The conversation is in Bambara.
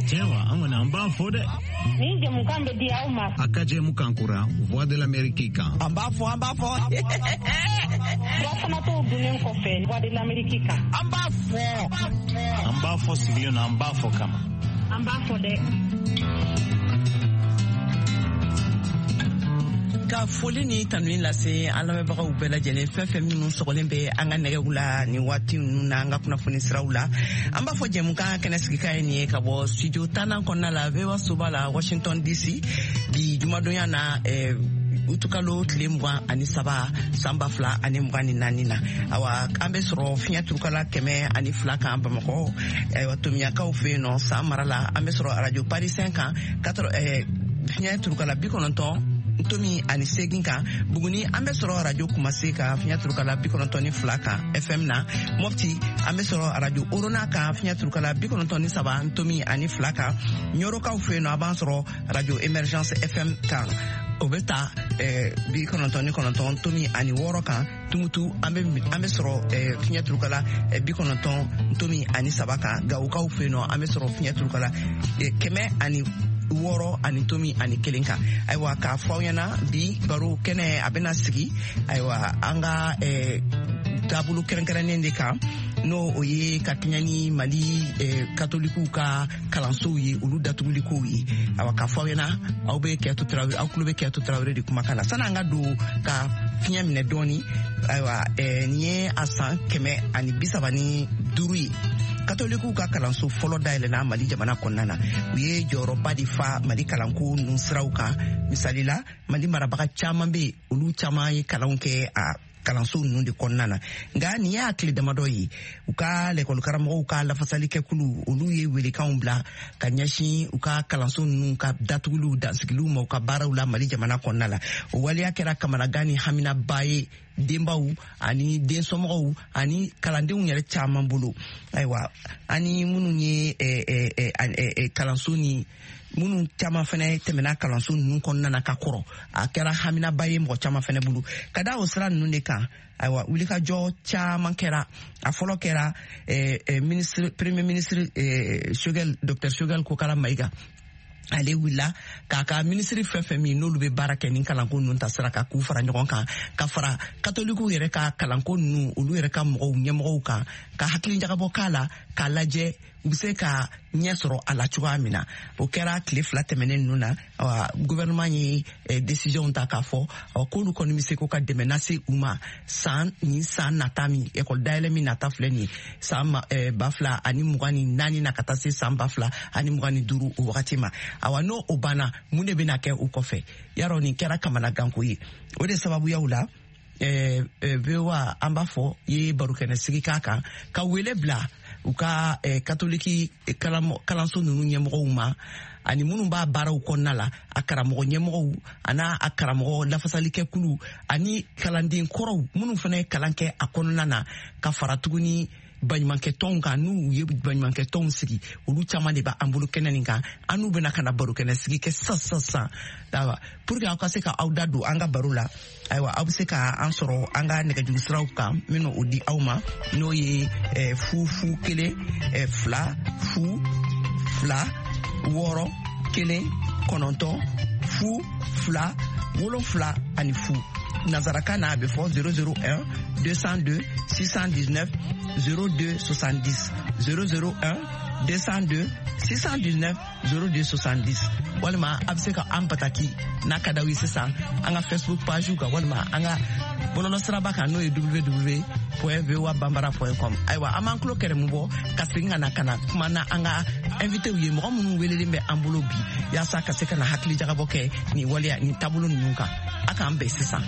Tiɲɛ wa, an kɔni an b'a fɔ dɛ. Nin jɛmukan bɛ di aw ma. A ka jɛmukan kura Voix de l'Amérique kan. An b'a fɔ, an b'a fɔ. Furafanatɔw dunnen kɔfɛ Voix de l'Amérique kan. An b'a fɔ. An b'a fɔ sigilen na, an b'a fɔ kama. An b'a fɔ dɛ. Ka foli ni tanuni lase an lamɛnbagaw bɛɛ lajɛlen, fɛn fɛn minnu sɔgɔlen bɛ an ka nɛgɛw la nin waati ninnu na, an ka kunnafoni siraw la. An b'a fɔ jɛmukan kɛnɛ sigikan ye nin ye ka bɔ studio 10nan kɔnɔna la, VOA soba la, Washington DC, bi jumadonya na, utukalo tile 23, san 2024 na. Awa, an bɛ sɔrɔ fiɲɛ turukala 102 kan Bamakɔ, ayiwa, Tomiyakaw fɛ yen nɔ, San mara la. An bɛ sɔrɔ radio Parisien kan, fiɲɛ turukala 90.8 kan Buguni. An bɛ sɔrɔ radio Kumase kan, fiɲɛ turukala 92 kan FM na. Mɔpti, an bɛ sɔrɔ radio Orona kan, fiɲɛ turukala 93.2 kan. Ɲɔrɔkaw fɛ yen nɔ, a b'an sɔrɔ radio Emergence FM kan, o bɛ ta 99.6 kan. Tumutu, an bɛ sɔrɔ fiɲɛ turukala 90.3 kan. Gawokaw fɛ yen nɔ, an bɛ sɔrɔ fiɲɛ turukala 106.1 kan. Ayiwa, k'a fɔ aw ɲɛna, bi baro kɛnɛ a bɛna sigi, ayiwa, an ka taabolo kɛrɛnkɛrɛnnen de kan, n'o o ye ka kɛɲɛ ni Mali katolikiw ka kalansow ye, olu datugulikow ye. Awa, k'a fɔ aw ɲɛna, aw bɛ Kɛto Tarawele, aw tulo bɛ Kɛto Tarawele de kumakan na. Sani an ka don ka fiɲɛ minɛ dɔɔni, ayiwa, nin ye a san 135 ye katolikiw ka kalanso fɔlɔ dayɛlɛna Mali jamana kɔnɔna na. U ye jɔyɔrɔba de fa Mali kalanko ninnu siraw kan. Misali la, Mali marabaga caman bɛ yen, olu caman ye kalanw kɛ a kalanso ninnu de kɔnɔna na. Nka nin y'a tile damadɔ ye, u ka lɛkɔlikaramɔgɔw ka lafasalikɛkulu, olu ye welekanw bila ka ɲɛsin u ka kalanso ninnu ka datuguliw dansigiliw ma u ka baaraw la Mali jamana kɔnɔna la. O waleya kɛra kamanagan ni haminaba ye denbaw ani densomɔgɔw ani kalandenw yɛrɛ caman bolo. Ayiwa, ani minnu ye kalanso ni minnu caman fɛnɛ tɛmɛna kalanso ninnu kɔnɔna na ka kɔrɔ, a kɛra haminaba ye mɔgɔ caman fɛnɛ bolo. Ka da o sira ninnu de kan, ayiwa, wulikajɔ caman kɛra. A fɔlɔ kɛra ministre, premier ministre Choguel, docteur Choguel Kokala Maïga, ale wulila k'a ka minisiri fɛn fɛn min n'olu bɛ baara kɛ ni kalanko ninnu ta sira kan, k'u fara ɲɔgɔn kan, ka fara katolikiw yɛrɛ ka kalanko ninnu, olu yɛrɛ ka mɔgɔw ɲɛmɔgɔw kan, ka hakili jagabɔ k'a la, k'a lajɛ u bɛ se ka ɲɛ sɔrɔ a la cogoya min na. O kɛra tile 2 tɛmɛnen ninnu na. Gouvernement ye décision ta k'a fɔ k'olu kɔni bɛ se ko ka dɛmɛ lase u ma san nin san nata min, ekɔli dayɛlɛ min nata filɛ nin ye, san 2024 na ka taa se san 2025 o wagati ma. Awa, n'o o banna, mun de bɛna kɛ o kɔfɛ? Yarɔ, nin kɛra kamanaganko ye. O de sababuyaw la, VOA, an b'a fɔ, ye barokɛnɛ sigi k'a kan, ka wele bila u ka katoliki kalanso ninnu ɲɛmɔgɔw ma, ani minnu b'a baaraw kɔnɔna la, a karamɔgɔ ɲɛmɔgɔw an'a a karamɔgɔ lafasalikɛkulu ani kalanden kɔrɔw minnu fana ye kalan kɛ a kɔnɔna na, ka fara tuguni baɲumankɛtɔnw kan, n'u ye baɲumankɛtɔnw sigi. Olu caman de b'an bolo kɛnɛ nin kan. An n'u bɛna ka na barokɛnɛ sigi kɛ sisan sisan sisan. Ayiwa, pour que aw ka se ka aw da don an ka baro la, ayiwa, aw bɛ se ka an sɔrɔ an ka nɛgɛjuru siraw kan minnu o di aw ma, n'o ye 0 0 1 2 0 2 6 1 9 0 2 7 ani 0. Nansarakan na, a bɛ fɔ 001 202 619 02 70, 001 202 619 02 70. Walima a bɛ se ka an bataki n'a ka d'aw ye sisan an ka Facebook page kan, walima an ka bɔlɔlɔsiraba kan, n'o ye www.voabambara.com. Ayiwa, an b'an tulo kɛrɛmu bɔ ka segin ka na ka na kuma na an ka invité ye, mɔgɔ minnu welelen bɛ an bolo bi, yaasa ka se ka na hakili jagabɔ kɛ nin waleya nin taabolo ninnu kan. A k'an bɛn sisan.